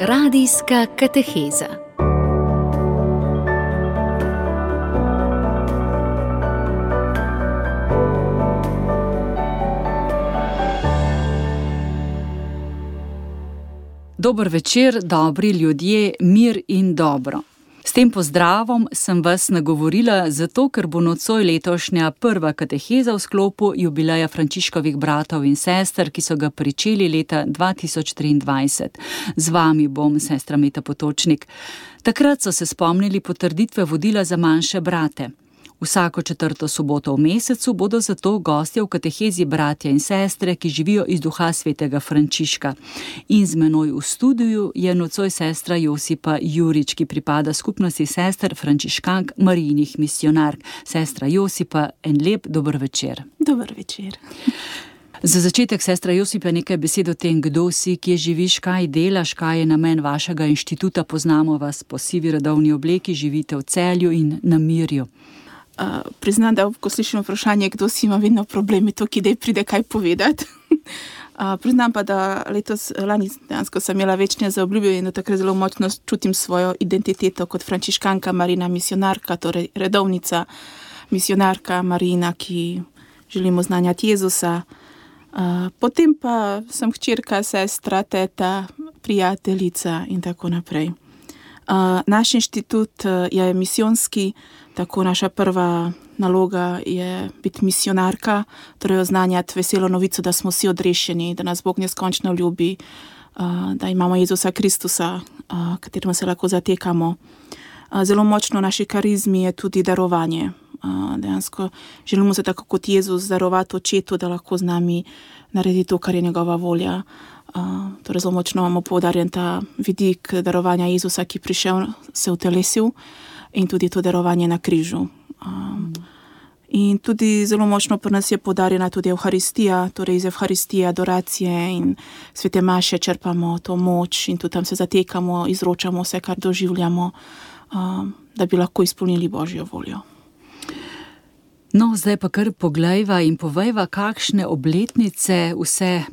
Radijska kateheza. Dober večer, dobri ljudje, mir in dobro. S tem pozdravom sem vas nagovorila zato, ker bo nocoj letošnja prva kateheza v sklopu jubileja Frančiškovih bratov in sester, ki so ga pričeli leta 2023. Z vami bom sestra Meta Potočnik. Takrat so se spomnili potrditve vodila za manjše brate. Vsako 4. soboto v mesecu bodo zato gostje v katehezi bratja in sestre, ki živijo iz duha svetega Frančiška. In z menoj v studiu je nocoj sestra Josipa Jurič, ki pripada skupnosti sester frančiškank Marijinih misionark. Sestra Josipa, en lep dober večer. Dober večer. Za začetek, sestra Josipa, nekaj besed o tem, kdo si, kje živiš, kaj delaš, kaj je namen vašega inštituta. Poznamo vas po sivi redovni obleki, živite v Celju in na Mirju. Priznam, da ko slišim vprašanje, kdo si, ima vedno problemi to, ki pride kaj povedati. Priznam pa, da lani dejansko sem imela večne zaobljube in da takrat zelo močno čutim svojo identiteto kot frančiškanka Marijina misionarka, torej redovnica misionarka Marijina, ki želimo znanjati Jezusa. Potem pa sem hčerka, sestra, teta, prijateljica in tako naprej. Naš inštitut je misijonski, tako naša prva naloga je biti misionarka, torej oznanjati veselo novico, da smo vsi odrešeni, da nas Bog neskončno ljubi, da imamo Jezusa Kristusa, kateremu se lahko zatekamo. Zelo močno v naši karizmi je tudi darovanje. Dejansko želimo se tako kot Jezus darovati očetu, da lahko z nami naredi to, kar je njegova volja. Torej zelo močno imamo poudarjen ta vidik darovanja Jezusa, ki prišel, se utelesil, in tudi to darovanje na križu. In tudi zelo močno pri nas je poudarjena tudi Evharistija, torej iz Evharistije, adoracije in svete maše črpamo to moč in tudi tam se zatekamo, izročamo vse, kar doživljamo, da bi lahko izpolnili Božjo voljo. No, zdaj pa kar poglejva in povejva, kakšne obletnice vse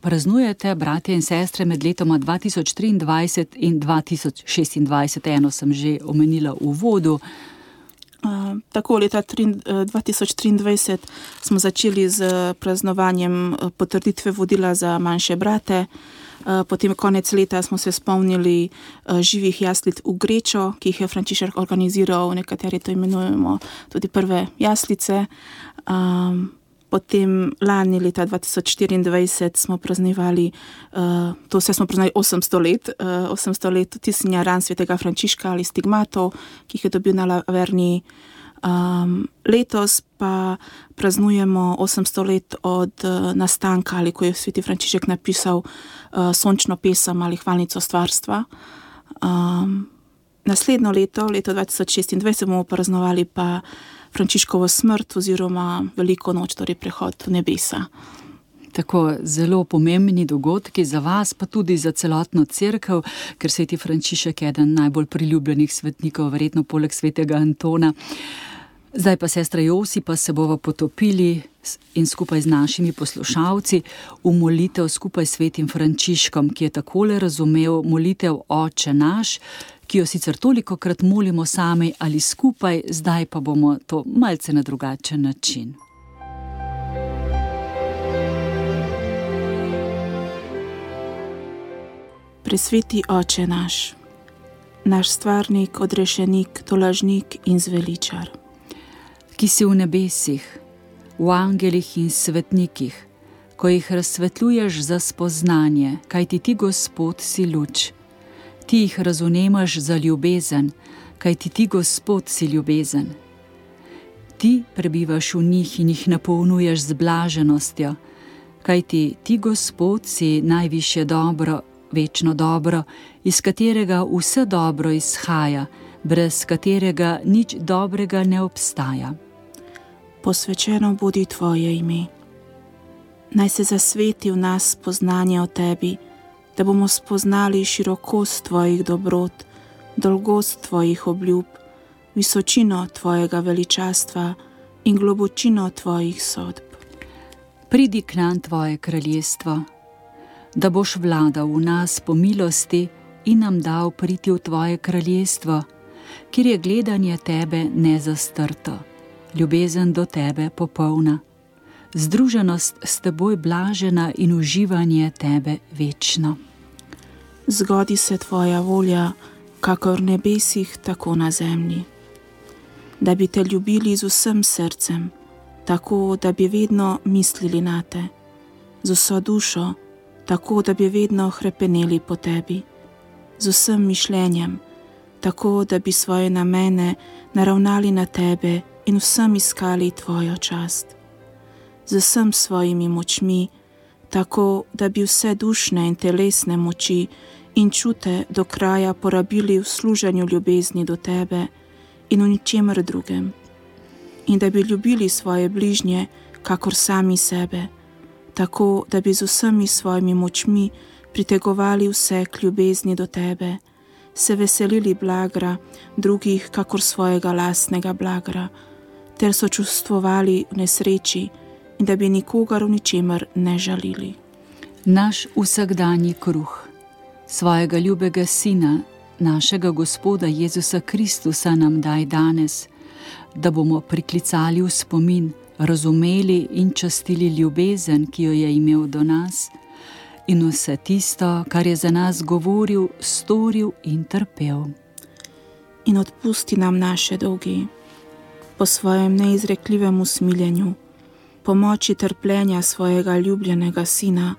praznujete, bratje in sestre, med letoma 2023 in 2026. Eno sem že omenila v uvodu. Tako, leta 2023 smo začeli z praznovanjem potrditve vodila za manjše brate. Potem konec leta smo se spomnili živih jaslic v Grečo, ki jih je Frančišek organiziral, nekateri to imenujemo tudi prve jaslice. Potem lani leta 2024 smo praznevali, to vse smo praznevali 800 let tisnjenja ran svetega Frančiška ali stigmatov, ki jih je dobil na Laverni. Letos pa praznujemo 800 let od nastanka, ali ko je sveti Frančišek napisal sončno pesem ali hvalnico stvarstva. Naslednjo leto 2026, bomo praznovali pa Frančiškovo smrt oziroma veliko noč, torej prehod v nebesa. Tako zelo pomembni dogodki za vas, pa tudi za celotno cerkev, ker sveti Frančišek je eden najbolj priljubljenih svetnikov, verjetno poleg svetega Antona. Zdaj pa, sestra Josipa, se bova potopili in skupaj z našimi poslušalci v molitev skupaj s svetim Frančiškom, ki je takole razumel molitev Oče naš, ki jo sicer tolikokrat molimo sami ali skupaj, zdaj pa bomo to malce na drugačen način. Presveti Oče naš, naš stvarnik, odrešenik, tolažnik in zveličar, ki si v nebesih, v angelih in svetnikih, ko jih razsvetljuješ za spoznanje, kajti ti, Gospod, si luč. Ti jih razumemaš za ljubezen, kajti ti, Gospod, si ljubezen. Ti prebivaš v njih in jih napolnjuješ z blaženostjo, kajti ti, Gospod, si najvišje dobro, večno dobro, iz katerega vse dobro izhaja, brez katerega nič dobrega ne obstaja. Posvečeno bodi tvoje ime. Naj se zasveti v nas spoznanje o tebi, da bomo spoznali širokost tvojih dobrot, dolgost tvojih obljub, visočino tvojega veličastva in globočino tvojih sodb. Pridi k nam tvoje kraljestvo. da boš vladal v nas po milosti in nam dal priti v tvoje kraljestvo, kjer je gledanje tebe nezastrto, ljubezen do tebe popolna, združenost s teboj blažena in uživanje tebe večno. Zgodi se tvoja volja, kakor v nebesih, tako na zemlji. Da bi te ljubili z vsem srcem, tako da bi vedno mislili na te, z vso dušo, tako da bi vedno hrepeneli po tebi, z vsem mišljenjem, tako da bi svoje namene naravnali na tebe in vsem iskali tvojo čast, z vsem svojimi močmi, tako da bi vse dušne in telesne moči in čute do kraja porabili v služenju ljubezni do tebe in v ničemer drugem, in da bi ljubili svoje bližnje, kakor sami sebe, tako da bi z vsemi svojimi močmi pritegovali vse k ljubezni do tebe, se veselili blagra drugih, kakor svojega lastnega blagra, ter sočustvovali v nesreči in da bi nikogar v ničemer ne žalili. Naš vsakdanji kruh, svojega ljubega Sina, našega Gospoda Jezusa Kristusa nam daj danes, da bomo priklicali v spomin, razumeli in častili ljubezen, ki jo je imel do nas, in vse tisto, kar je za nas govoril, storil in trpel. In odpusti nam naše dolgi, po svojem neizrekljivem usmiljenju, po moči trpljenja svojega ljubljenega Sina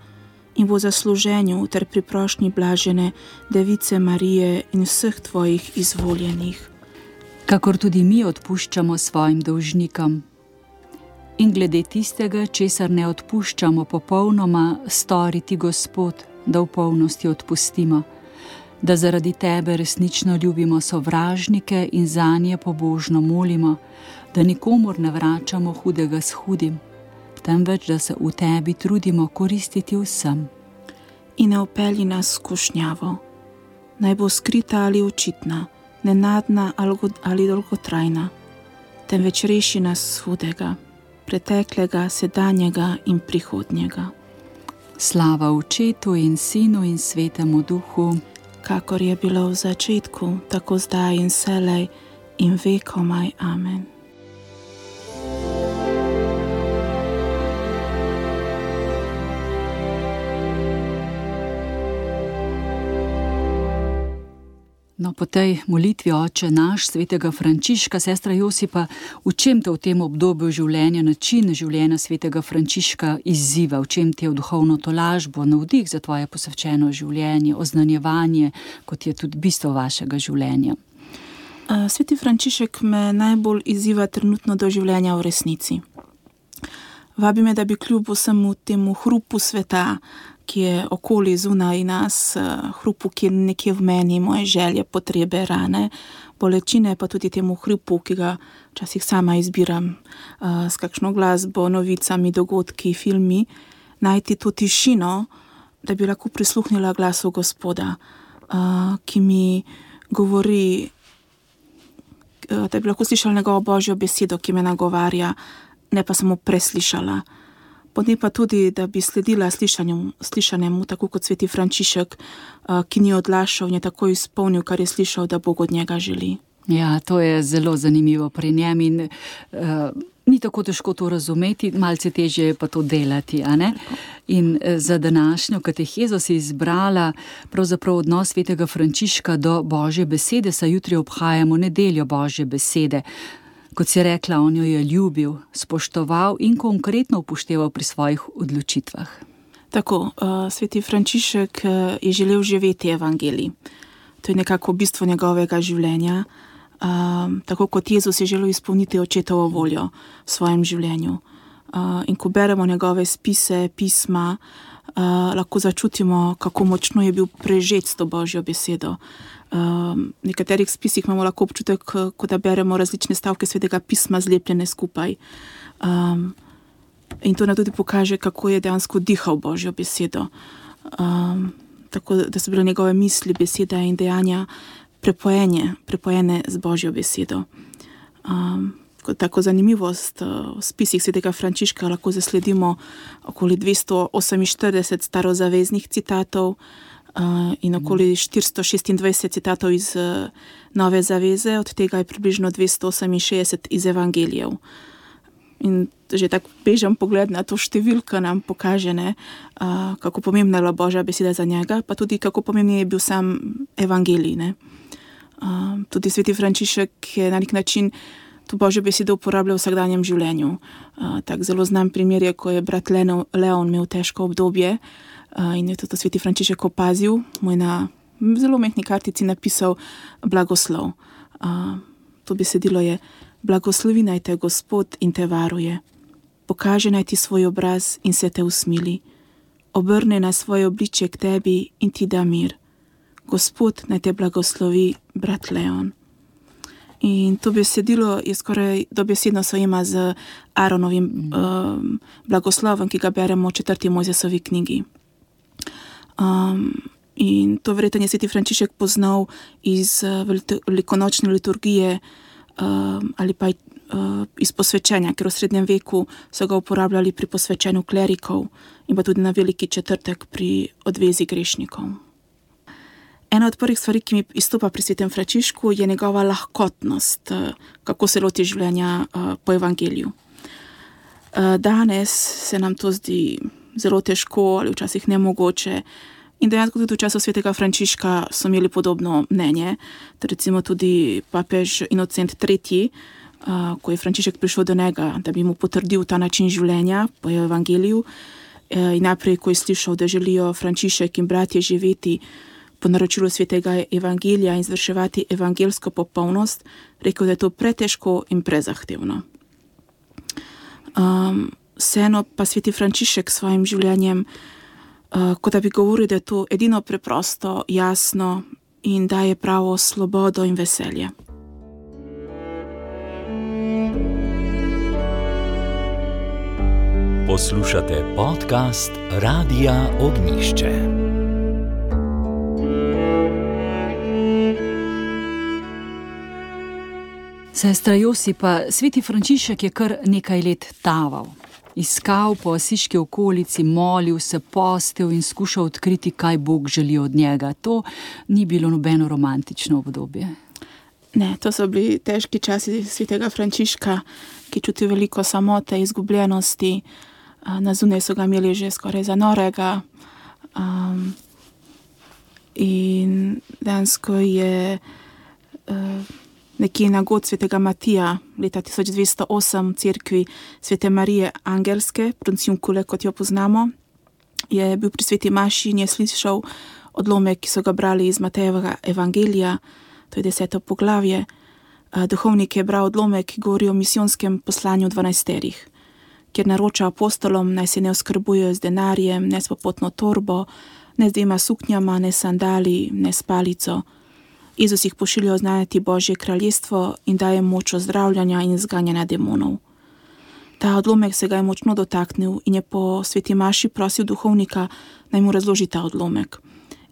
in po zasluženju ter pri prošnji blažene Device Marije in vseh tvojih izvoljenih. Kakor tudi mi odpuščamo svojim dolžnikom. In glede tistega, česar ne odpuščamo popolnoma, storiti Gospod, da v polnosti odpustimo, da zaradi tebe resnično ljubimo sovražnike in zanje pobožno molimo, da nikomur ne vračamo hudega s hudim, temveč da se v tebi trudimo koristiti vsem. In ne vpelji nas v skušnjavo, naj bo skrita ali očitna, nenadna ali dolgotrajna, temveč reši nas hudega, preteklega, sedanjega in prihodnjega. Slava Očetu in Sinu in Svetemu Duhu, kakor je bilo v začetku, tako zdaj in vselej in vekomaj. Amen. No, po tej molitvi Oče naš, svetega Frančiška, sestra Josipa, v čem te v tem obdobju življenja, način življenja svetega Frančiška izziva, v čem te je v duhovno tolažbo, navdih za tvoje posvečeno življenje, oznanjevanje, kot je tudi bistvo vašega življenja? Sveti Frančišek me najbolj izziva trenutno do življenja v resnici. Vabi me, da bi kljub vsemu temu hrupu sveta, ki je okoli zunaj nas, hrupu, ki je nekje v meni, moje želje, potrebe, rane, bolečine, pa tudi temu hrupu, ki ga včasih sama izbiram s kakšno glasbo, novicami, dogodki, filmi, najti to tišino, da bi lahko prisluhnila glasu Gospoda, ki mi govori, da bi lahko slišala njegovo Božjo besedo, ki me nagovarja, ne pa samo preslišala. Potem pa tudi, da bi sledila slišanemu, tako kot sveti Frančišek, ki ni odlašal in je tako izpolnil, kar je slišal, da Bog od njega želi. Ja, to je zelo zanimivo pri njem in ni tako težko to razumeti, malce težje je pa to delati, a ne? In za današnjo katehezo si izbrala pravzaprav odnos svetega Frančiška do Božje besede, saj jutri obhajamo nedeljo Božje besede. Kot si rekla, on jo je ljubil, spoštoval in konkretno upošteval pri svojih odločitvah. Tako, sveti Frančišek je želel živeti evangelij. To je nekako bistvo njegovega življenja. Tako kot Jezus je želel izpolniti očetovo voljo v svojem življenju. In ko beremo njegove spise, pisma, lahko začutimo, kako močno je bil prežet s to Božjo besedo. V nekaterih spisih imamo lahko občutek, ko da beremo različne stavke svetega pisma zlepljene skupaj. In to nam tudi pokaže, kako je dejansko dihal Božjo besedo. Tako da so bile njegove misli, besede in dejanja prepojene z Božjo besedo. kot tako zanimivost, v spisih svetega Frančiška lahko zasledimo okoli 248 starozaveznih citatov in okoli 426 citatov iz Nove zaveze, od tega je približno 268 iz evangelijev. In že tak bežen pogled na to številko nam pokaže, kako pomembna je bila Božja beseda za njega, pa tudi kako pomemben je bil sam evangelij. Tudi sveti Frančišek je na nek način to Božjo besedo uporabljal v vsakdanjem življenju. Tak zelo znan primer je, ko je brat Leon imel težko obdobje in je to sveti Frančišek opazil, mu je na zelo mehni kartici napisal blagoslov. To besedilo je: blagoslovi naj te Gospod in te varuje, pokaže naj ti svoj obraz in se te usmili, obrne na svoje obličje k tebi in ti da mir. Gospod naj te blagoslovi, brat Leon. In to besedilo je skoraj dobesedno sojema z Aaronovim blagoslovom, ki ga beremo v 4. Mojzesovi knjigi. In to verjetno je sveti Frančišek poznal iz velikonočne liturgije ali pa iz posvečenja, ker v srednjem veku so ga uporabljali pri posvečenju klerikov in pa tudi na veliki četrtek pri odvezi grešnikov. Ena od prvih stvari, ki mi izstopa pri svetem Frančišku, je njegova lahkotnost, kako se loti življenja po evangeliju. Danes se nam to zdi zelo težko ali včasih nemogoče. In dejansko tudi v času svetega Frančiška so imeli podobno mnenje. Recimo tudi papež Inocent III., ko je Frančišek prišel do njega, da bi mu potrdil ta način življenja po evangeliju. In najprej, ko je slišal, da želijo Frančišek in bratje živeti po naročilu svetega evangelija in izvrševati evangelsko popolnost, rekel, da je to pretežko in prezahtevno. Vseeno pa sveti Frančišek s svojim življenjem kot da bi govoril, da je to edino preprosto, jasno in daje pravo svobodo in veselje. Poslušate podcast Radia Ognjišče. Sestra Josipa, sveti Frančišek je kar nekaj let taval. Iskal po asiški okolici, molil se, postil in skušal odkriti, kaj Bog želi od njega. To ni bilo nobeno romantično obdobje. Ne, to so bili težki časi svetega Frančiška, ki čuti veliko samote, izgubljenosti. Na zunaj so ga imeli že skoraj za norega. In dejansko je nekje na god svetega Matija leta 1208 v cerkvi svete Marije Angelske, Pronciunkule, kot jo poznamo, je bil pri sveti maši in je slišal odlomek, ki so ga brali iz Matejevega evangelija, to je 10. poglavje. Duhovnik je bral odlomek, ki govori o misijonskem poslanju 12, kjer naroča apostolom, naj se ne oskrbujejo z denarjem, ne s popotno torbo, ne z 2 suknjama, ne sandali, ne s palico. Jezus jih pošilja oznanjati Božje kraljestvo in daje moč ozdravljanja in zganjanja demonov. Ta odlomek se ga je močno dotaknil in je po sveti maši prosil duhovnika, naj mu razloži ta odlomek.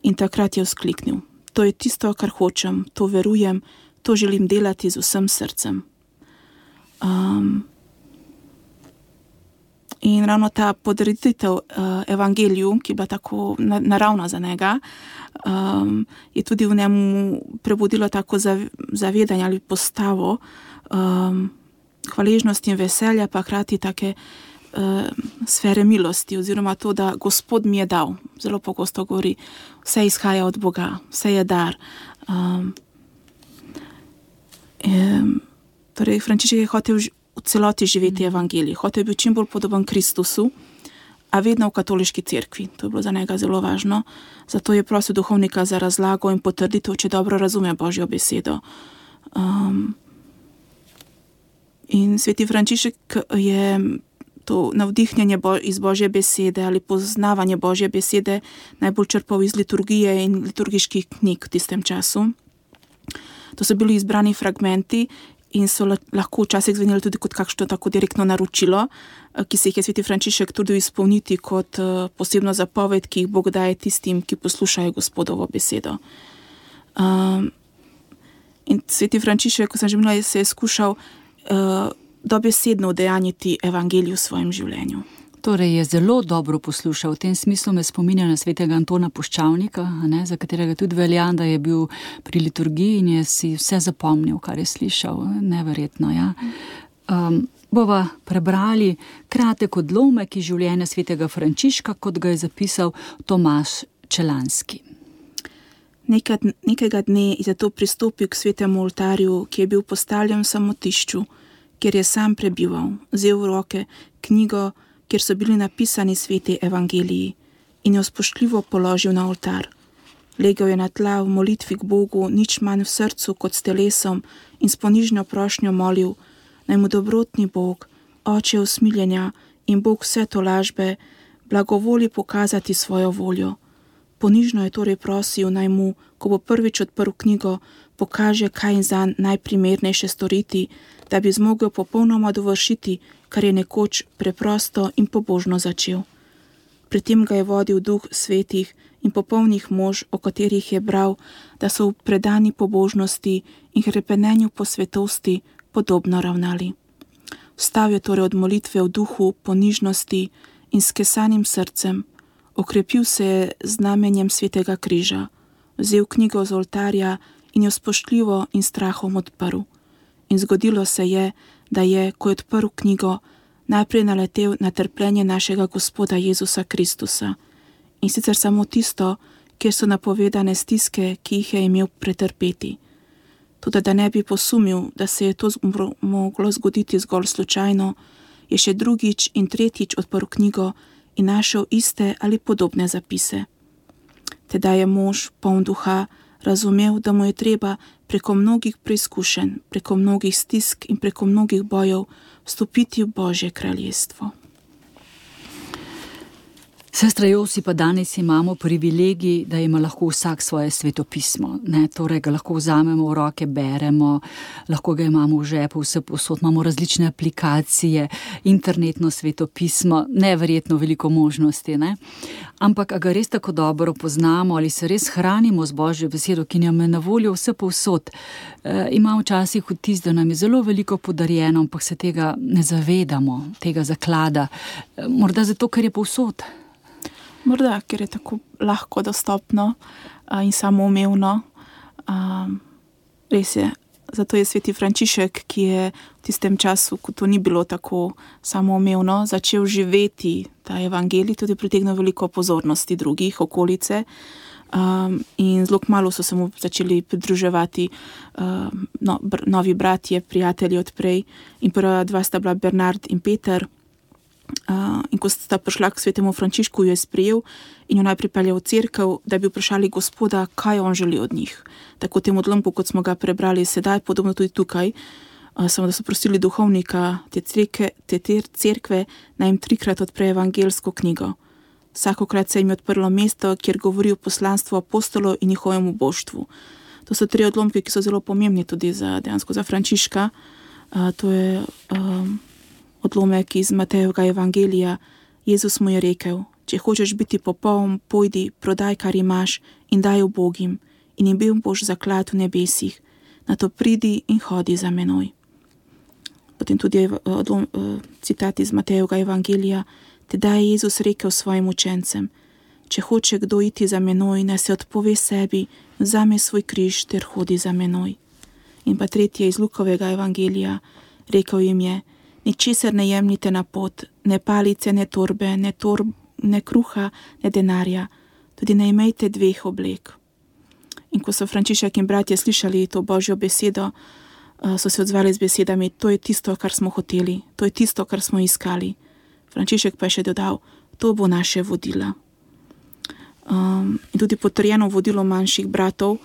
In takrat je vzkliknil: to je tisto, kar hočem, to verujem, to želim delati z vsem srcem. In ravno ta podreditev evangeliju, ki je bila tako naravna za njega, je tudi v njemu prebudilo tako zavedanje ali postavo hvaležnosti in veselja, pa hkrati take sfere milosti, oziroma to, da Gospod mi je dal. Zelo pogosto govori, vse izhaja od Boga, vse je dar. Torej, Frančišek je hotel v celoti živeti evangelij, hotel je bil čim bolj podoben Kristusu, a vedno v katoliški cerkvi. To je bilo za njega zelo važno. Zato je prosil duhovnika za razlago in potrditev, če dobro razume Božjo besedo. In sveti Frančišek je to navdihnjenje iz Božje besede ali poznavanje Božje besede najbolj črpal iz liturgije in liturgiških knjig v tistem času. To so bili izbrani fragmenti in so lahko včasih zveneli tudi kot kakšno tako direktno naročilo, ki se jih je sveti Frančišek trudil izpolniti kot posebno zapoved, ki jih Bog daje tistim, ki poslušajo Gospodovo besedo. In sveti Frančišek, ko sem že menila, se je skušal dobesedno udejanjiti evangelij v svojem življenju. Torej je zelo dobro poslušal. V tem smislu me spominja na svetega Antona Puščavnika, za katerega tudi velja, da je bil pri liturgiji in je si vse zapomnil, kar je slišal. Neverjetno, ja. Bova prebrali kratek odlomek iz življenja svetega Frančiška, kot ga je zapisal Tomaž Čelanski. Nekega dne je zato pristopil k svetemu oltarju, ki je bil postavljen v samotišču, kjer je sam prebival, vzel v roke knjigo, kjer so bili napisani sveti evangeliji, in jo spoštljivo položil na oltar. Legel je na tla v molitvi k Bogu, nič manj v srcu kot s telesom, in s ponižno prošnjo molil, naj mu dobrotni Bog, Oče usmiljenja in Bog vse tolažbe, blagovoli pokazati svojo voljo. Ponižno je torej prosil, naj mu, ko bo prvič odprl knjigo, pokaže, kaj je zanj najprimernejše storiti, da bi zmogel popolnoma dovršiti, kar je nekoč preprosto in pobožno začel. Pri tem ga je vodil duh svetih in popolnih mož, o katerih je bral, da so v predani pobožnosti in hrepenenju po svetosti podobno ravnali. Vstal je torej od molitve v duhu ponižnosti in s kesanim srcem, okrepil se je znamenjem svetega križa, vzel knjigo z oltarja in jo spoštljivo in strahom odprl. In zgodilo se je, da je, ko je odprl knjigo, najprej naletel na trpljenje našega Gospoda Jezusa Kristusa. In sicer samo tisto, kjer so napovedane stiske, ki jih je imel pretrpeti. Toda da ne bi posumil, da se je to moglo zgoditi zgolj slučajno, je še drugič in tretjič odprl knjigo in našel iste ali podobne zapise. Teda je mož, poln duha, razumel, da mu je treba preko mnogih preizkušenj, preko mnogih stisk in preko mnogih bojev vstopiti v Božje kraljestvo. Sestra Josi, pa danes imamo privilegij, da ima lahko vsak svoje svetopismo. Torej ga lahko vzamemo v roke, beremo, lahko ga imamo v žepu, vse povsod, imamo različne aplikacije, internetno svetopismo, neverjetno veliko možnosti. Ampak, a ga res tako dobro poznamo ali se res hranimo z Božjo besedo, ki nam je na voljo vse povsod. Imam včasih vtis, da nam je zelo veliko podarjeno, ampak se tega ne zavedamo, tega zaklada. Morda zato, ker je povsod. Morda, ker je tako lahko dostopno in samoumevno. Res je, zato je sveti Frančišek, ki je v tistem času, ko to ni bilo tako samoumevno, začel živeti ta evangelij, tudi pritegnil veliko pozornosti drugih, okolice. In zelo kmalu so se mu začeli pridruževati novi bratje, prijatelji odprej. In prva dva sta bila Bernard in Peter. In ko sta prišla k svetemu Frančišku, jo je sprejel in jo najprej peljal v cerkev, da bi vprašali Gospoda, kaj on želi od njih. Tako v tem odlomku, kot smo ga prebrali sedaj, podobno tudi tukaj, samo da so prosili duhovnika te cerkve, naj jim 3-krat odpre evangelsko knjigo. Vsakokrat se jim je odprlo mesto, kjer govori o poslanstvu apostolov in njihovemu boštvu. To so 3 odlomke, ki so zelo pomembni tudi dejansko za Frančiška. To je odlomek iz Matejevega evangelija. Jezus mu je rekel, če hočeš biti popoln, pojdi, prodaj, kar imaš in daj ubogim in imel boš zaklad v nebesih. Nato pridi in hodi za menoj. Potem tudi citat iz Matejevega evangelija. Tedaj je Jezus rekel svojim učencem, če hoče kdo iti za menoj, naj se odpove sebi, vzame svoj križ ter hodi za menoj. In pa tretje iz Lukovega evangelija. Rekel jim je, ničesar ne jemljite na pot, ne palice, ne torbe, ne kruha, ne denarja, tudi ne imejte 2 oblek. In ko so Frančišek in bratje slišali to Božjo besedo, so se odzvali z besedami, to je tisto, kar smo hoteli, to je tisto, kar smo iskali. Frančišek pa je še dodal, to bo naše vodilo. In tudi potrjeno vodilo manjših bratov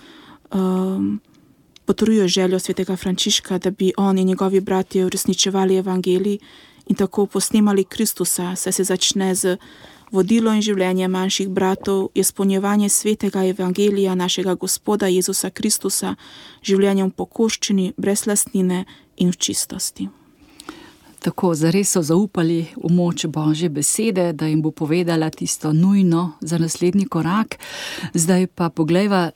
potrjuje željo svetega Frančiška, da bi on in njegovi bratje uresničevali evangelij in tako posnemali Kristusa, saj se začne z vodilo in življenje manjših bratov, je izpolnjevanje svetega evangelija našega Gospoda Jezusa Kristusa, življenjem pokoščeni, brez lastnine in v čistosti. Tako, zares so zaupali v moč Božje besede, da jim bo povedala tisto nujno za naslednji korak. Zdaj pa poglejva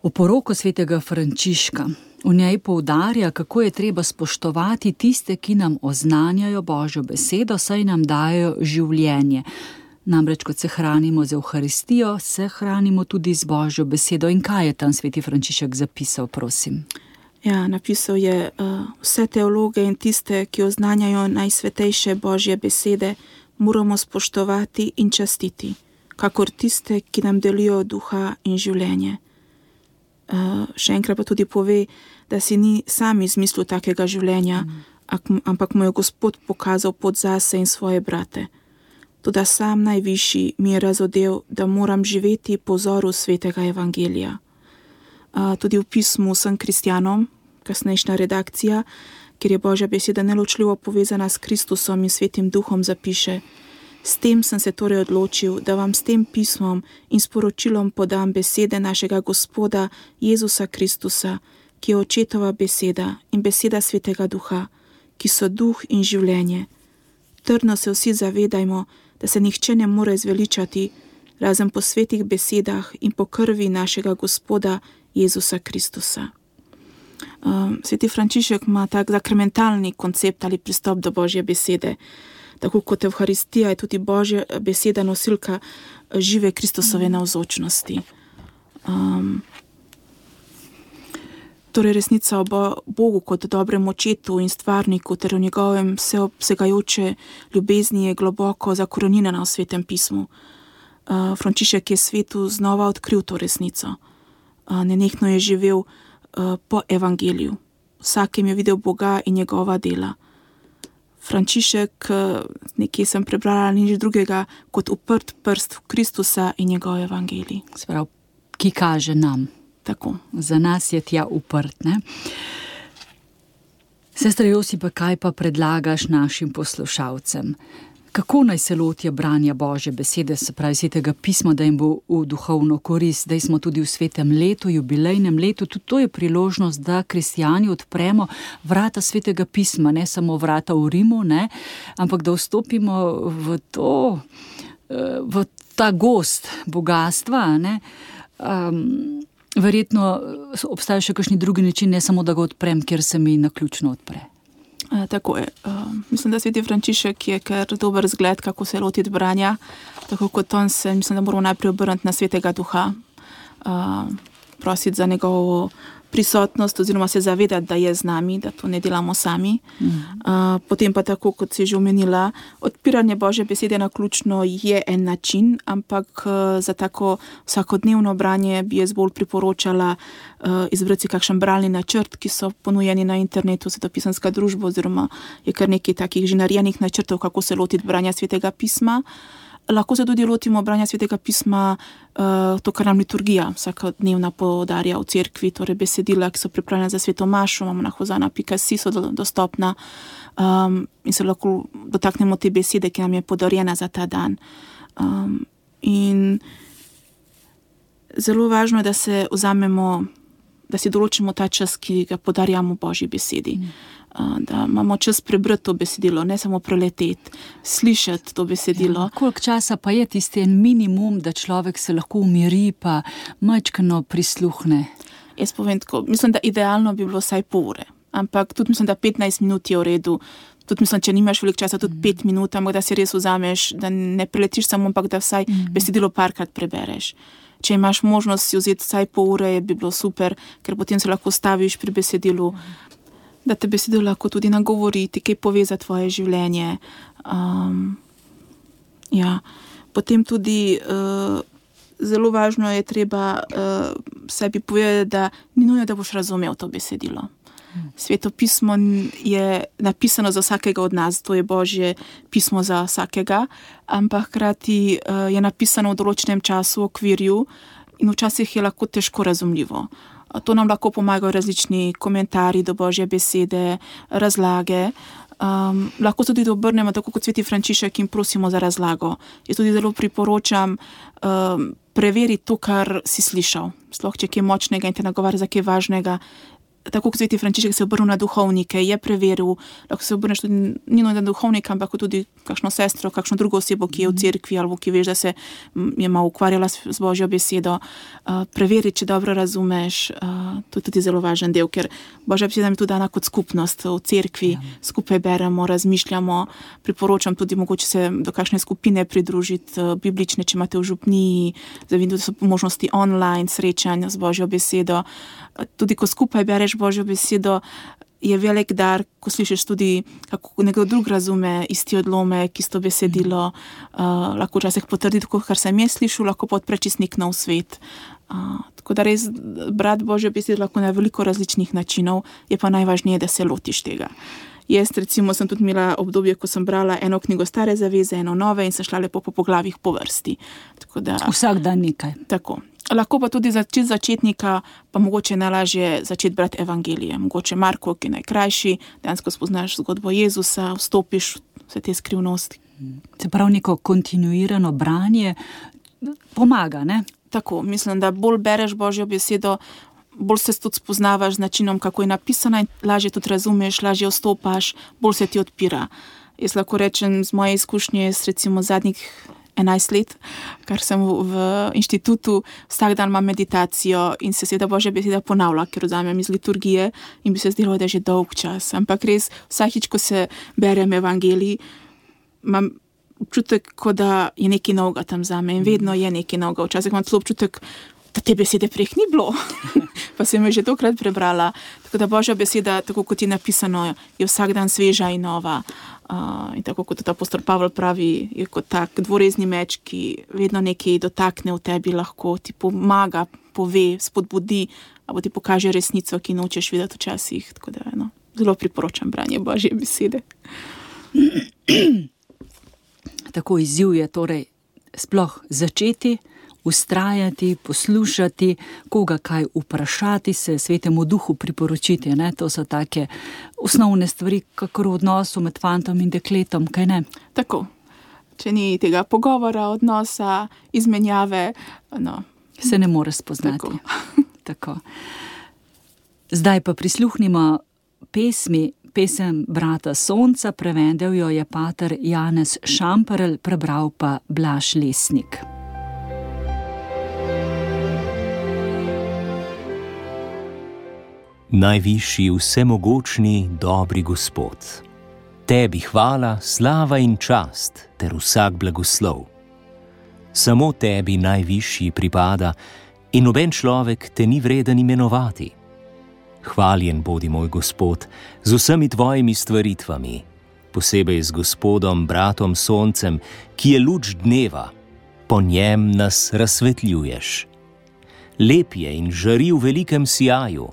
Oporoko svetega Frančiška. V njej poudarja, kako je treba spoštovati tiste, ki nam oznanjajo Božjo besedo, saj nam dajo življenje. Namreč, kot se hranimo z Evharistijo, se hranimo tudi z Božjo besedo. In kaj je tam sveti Frančišek zapisal, prosim? Ja, napisal je, vse teologe in tiste, ki oznanjajo najsvetejše Božje besede, moramo spoštovati in častiti, kakor tiste, ki nam delijo duha in življenje. Še enkrat pa tudi pove, da si ni sam izmislil takega življenja, ampak mu je Gospod pokazal pot zase in svoje brate. Toda sam najvišji mi je razodel, da moram živeti po vzoru svetega evangelija. Tudi v pismu vsem kristjanom, kasnejšnja redakcija, kjer je Božja beseda neločljivo povezana s Kristusom in svetim duhom, zapiše: S tem sem se torej odločil, da vam s tem pismom in sporočilom podam besede našega Gospoda Jezusa Kristusa, ki je očetova beseda in beseda svetega duha, ki so duh in življenje. Trdno se vsi zavedajmo, da se nihče ne more zveličati, razen po svetih besedah in po krvi našega Gospoda Jezusa Kristusa. Sveti Frančišek ima tak sakramentalni koncept ali pristop do Božje besede. Tako kot Evharistija je tudi Božja beseda nosilka žive Kristusove navzočnosti. Torej resnica o Bogu kot dobrem očetu in stvarniku ter o njegovem vseobsegajoče ljubezni je globoko zakorenjena v svetem pismu. Frančišek je svetu znova odkril to resnico. Nenehno je živel po evangeliju. Vsakem je videl Boga in njegova dela. Frančišek, nekje sem prebrala, nič drugega kot uprt prst v Kristusa in njegov evangelij. Sprav, ki kaže nam. Tako. Za nas je tja uprt, ne? Sestra Josipa, kaj pa predlagaš našim poslušalcem? Kako naj se lotijo branja Božje besede, se pravi svetega pisma, da jim bo v duhovno korist? Zdaj smo tudi v svetem letu, jubilejnem letu, tudi to je priložnost, da kristjani odpremo vrata svetega pisma, ne samo vrata v Rimu, ne, ampak da vstopimo v ta gost bogatstva, ne. Verjetno obstaja še kakšni drugi način, ne samo da ga odprem, kjer se mi naključno odpre. Tako je. Mislim, da sveti Frančišek je kar dober zgled, kako se lotiti branja. Tako kot on se, mislim, da moramo najprej obrniti na svetega duha, prositi za njegovo prisotnost oziroma se zavedati, da je z nami, da to ne delamo sami. Potem pa tako, kot si že omenila, odpiranje Božje besede naključno je en način, ampak za tako vsakodnevno branje bi jaz bolj priporočala izbrati si kakšen bralni načrt, ki so ponujeni na internetu, Svetopisanska družba, oziroma je kar nekaj takih že narejenih načrtov, kako se lotiti branja svetega pisma. Lahko se tudi lotimo branja svetega pisma, to, kar nam liturgija vsakodnevna podarja v cerkvi, torej besedila, ki so pripravljena za sveto mašo, imamo na hozana.si, so dostopna in se lahko dotaknemo te besede, ki nam je podarjena za ta dan. In zelo važno je, da se vzamemo, da si določimo ta čas, ki ga podarjamo Božji besedi. Da imamo čas prebrati to besedilo, ne samo preleteti, slišati to besedilo. Koliko časa pa je tisti en minimum, da človek se lahko umiri pa majčkeno prisluhne? Jaz povem tako, mislim, da idealno bi bilo vsaj pol ure, ampak tudi mislim, da 15 minut je v redu. Tudi mislim, če nimaš veliko časa, tudi 5 minut, ampak da si res vzameš, da ne preletiš samo, ampak da vsaj besedilo parkrat prebereš. Če imaš možnost si vzeti vsaj pol ure, bi bilo super, ker potem se lahko staviš pri besedilu, da te besedilo lahko tudi nagovori, ti kaj pove za tvoje življenje. Potem tudi zelo važno je treba sebi povedati, da ni nujno, da boš razumel to besedilo. Sveto pismo je napisano za vsakega od nas, to je Božje pismo za vsakega, ampak hkrati je napisano v določenem času, v okvirju in včasih je lahko težko razumljivo. To nam lahko pomagajo različni komentarji do Božje besede, razlage. Lahko tudi obrnemo tako kot sveti Frančišek in prosimo za razlago. Jaz tudi zelo priporočam preveriti to, kar si slišal. Sploh, če je kaj močnega in te nagovarja za kaj važnega, tako kot sveti Frančišek se obrnil na duhovnike, je preveril, lahko se obrneš tudi ni na duhovnika, ampak tudi kakšno sestro, kakšno drugo osebo, ki je v cerkvi ali ki veš, da se je malo ukvarjala z Božjo besedo, preveri, če dobro razumeš, to je tudi zelo važen del, ker Božja beseda je tudi dana kot skupnost v cerkvi, skupaj beremo, razmišljamo, priporočam tudi mogoče se do kakšne skupine pridružiti, biblične, če imate v župniji, zavidim, da so možnosti online srečanja z Božjo besedo. Tudi ko skupaj bereš Božjo besedo, je velik dar, ko slišiš tudi, kako nekdo drug razume isti odlomek, isto besedilo, lahko včasih potrdi tako, kar sem jaz slišal, lahko pa odpre čisto nek nov svet. Tako da res brati Božjo besedo lahko na veliko različnih načinov, je pa najvažnije, da se lotiš tega. Jaz recimo sem tudi imela obdobje, ko sem brala eno knjigo Stare zaveze, eno nove in sem šla lepo po poglavjih po vrsti. Tako da, vsak dan nekaj. Tako. Lahko pa tudi začetnika, pa mogoče najlažje začeti brati evangelije. Mogoče Marko, ki je najkrajši, dejansko spoznaš zgodbo Jezusa, vstopiš vse te skrivnosti. Se pravi, neko kontinuirano branje pomaga, ne? Tako, mislim, da bolj bereš Božjo besedo, bolj se tudi spoznavaš z načinom, kako je napisana in lažje tudi razumeš, lažje vstopaš, bolj se ti odpira. Jaz lahko rečem z moje izkušnje, recimo zadnjih 11 let, kar sem v inštitutu, vsak dan imam meditacijo in se seveda Božja beseda ponavlja, ker vzamem iz liturgije in bi se zdelo, da je že dolg čas. Ampak res, vsakič, ko se berem evangelij, imam občutek, kot da je nekaj novega tam zame in vedno je nekaj novega. Včasih imam celo občutek, da te besede prej ni bilo, pa sem jo že tokrat prebrala. Tako da Božja beseda, tako kot je napisano, je vsak dan sveža in nova. In tako kot apostol Pavel pravi, je kot tak dvorezni meč, ki vedno nekaj dotakne v tebi, lahko ti pomaga, pove, spodbudi, ali ti pokaže resnico, ki nočeš videti včasih. Tako da zelo priporočam branje Božje besede. Tako izziv je torej sploh začeti, ustrajati, poslušati, koga kaj vprašati, se Svetemu Duhu priporočiti. Ne? To so take osnovne stvari, kakor v odnosu med fantom in dekletom, kaj ne? Tako. Če ni tega pogovora, odnosa, izmenjave, se ne more spoznati. Tako. Tako. Zdaj pa prisluhnimo pesem Brata Sonca, prevedel jo je pater Janez Šamperl, prebral pa Blaž Lesnik. Najvišji, vsemogočni, dobri Gospod, tebi hvala, slava in čast ter vsak blagoslov. Samo tebi najvišji pripada in noben človek te ni vreden imenovati. Hvaljen bodi moj Gospod z vsemi tvojimi stvaritvami, posebej z Gospodom, bratom Soncem, ki je luč dneva, po njem nas razsvetljuješ. Lep je in žari v velikem sijaju,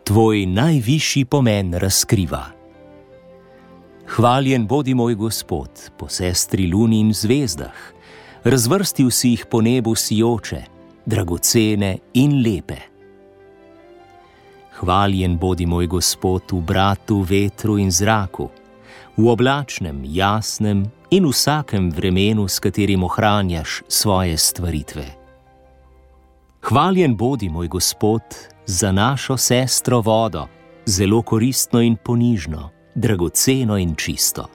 tvoj najvišji pomen razkriva. Hvaljen bodi moj Gospod po sestri luni in zvezdah, razvrstil si jih po nebu sijoče, dragocene in lepe. Hvaljen bodi moj Gospod v bratu, vetru in zraku, v oblačnem, jasnem in vsakem vremenu, s katerim ohranjaš svoje stvaritve. Hvaljen bodi moj Gospod za našo sestro vodo, zelo koristno in ponižno, dragoceno in čisto.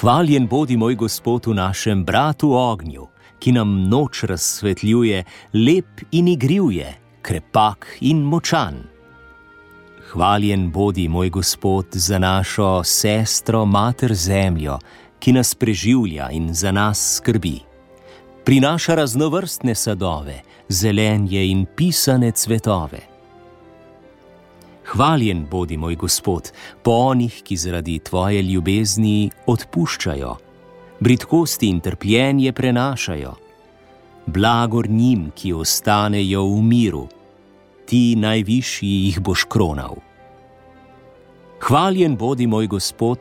Hvaljen bodi moj Gospod v našem bratu ognju, ki nam noč razsvetljuje, lep in igriv je, krepak in močan. Hvaljen bodi moj Gospod za našo sestro mater zemljo, ki nas preživlja in za nas skrbi. Prinaša raznovrstne sadove, zelenje in pisane cvetove. Hvaljen bodi moj Gospod po onih, ki zaradi tvoje ljubezni odpuščajo, bridkosti in trpljenje prenašajo. Blagor njim, ki ostanejo v miru, ti najvišji jih boš kronal. Hvaljen bodi moj Gospod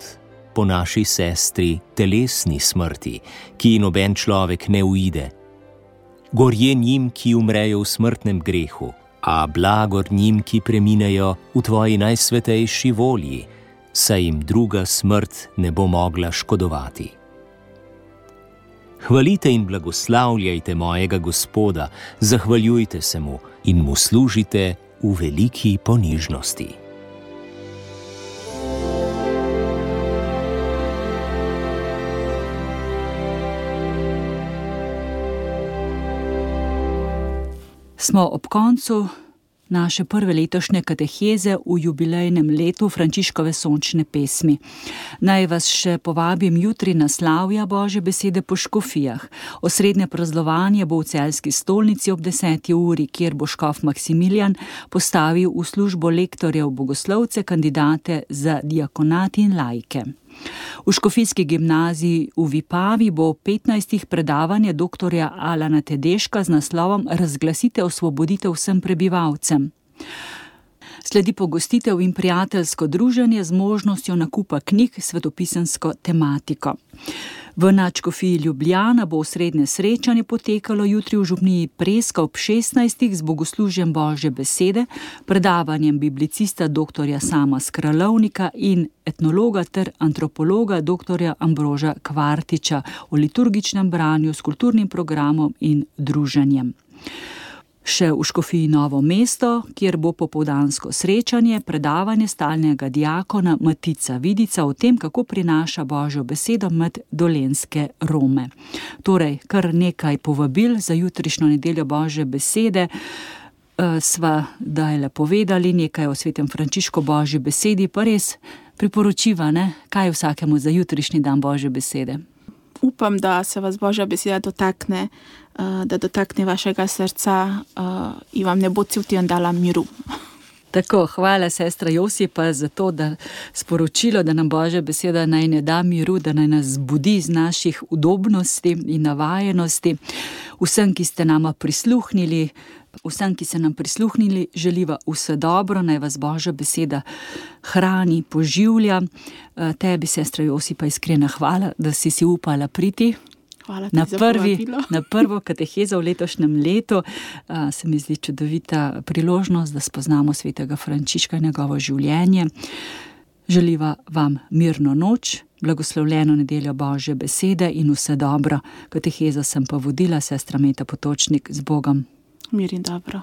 po naši sestri telesni smrti, ki noben človek ne uide. Gorje njim, ki umrejo v smrtnem grehu, a blagor njim, ki preminejo v tvoji najsvetejši volji, saj jim druga smrt ne bo mogla škodovati. Hvalite in blagoslavljajte mojega Gospoda, zahvaljujte se mu in mu služite v veliki ponižnosti. Smo ob koncu naše prve letošnje kateheze v jubilejnem letu Frančiškove sončne pesmi. Naj vas še povabim jutri na slavja Božje besede po škofijah. Osrednje praznovanje bo v Celjski stolnici ob 10. uri, kjer bo škof Maksimilijan postavil v službo lektorjev bogoslovce, kandidate za diakonat in laike. V škofijski gimnaziji v Vipavi bo 15. predavanje doktorja Alana Tedeška z naslovom Razglasite osvoboditev vsem prebivalcem. Sledi pogostitev in prijateljsko druženje z možnostjo nakupa knjig s svetopisemsko tematiko. V nadškofiji Ljubljana bo osrednje srečanje potekalo jutri v župniji Preska ob 16. z bogoslužjem Božje besede, predavanjem biblicista doktorja Sama Skralovnika in etnologa ter antropologa doktorja Ambroža Kvartiča o liturgičnem branju s kulturnim programom in druženjem. Še v škofiji Novo mesto, kjer bo popoldansko srečanje, predavanje stalnega diakona Matica Vidica o tem, kako prinaša Božjo besedo med dolenjske Rome. Torej, kar nekaj povabil za jutrišnjo nedeljo Božje besede. Sva dajle povedali nekaj o svetem Frančišku Božji besedi, pa res priporočiva, ne? Kaj vsakemu za jutrišnji dan Božje besede? Upam, da se vas Božja beseda dotakne, da dotakne vašega srca in vam ne bo cel teden dala miru. Tako, hvala sestra Josipa za to, da sporočilo, da nam Božja beseda naj ne da miru, da naj nas zbudi iz naših udobnosti in navajenosti. Vsem, ki ste nama prisluhnili, vsem, ki ste nam prisluhnili, želiva vse dobro, naj vas Božja beseda hrani, poživlja. Tebi, sestra Josipa, iskrena hvala, da si upala priti. Na prvo katehezo v letošnjem letu. Se mi zdi čudovita priložnost, da spoznamo svetega Frančiška in njegovo življenje. Želiva vam mirno noč, blagoslovljeno nedeljo Božje besede in vse dobro. Katehezo sem pa vodila, sestra Meta Potočnik, z Bogom. Mir in dobro.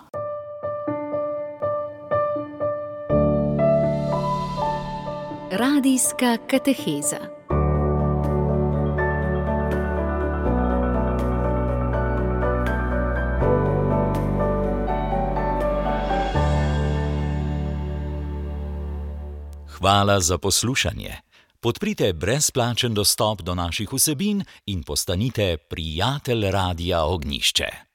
Radijska kateheza. Hvala za poslušanje. Podprite brezplačen dostop do naših vsebin in postanite prijatelj Radia Ognjišče.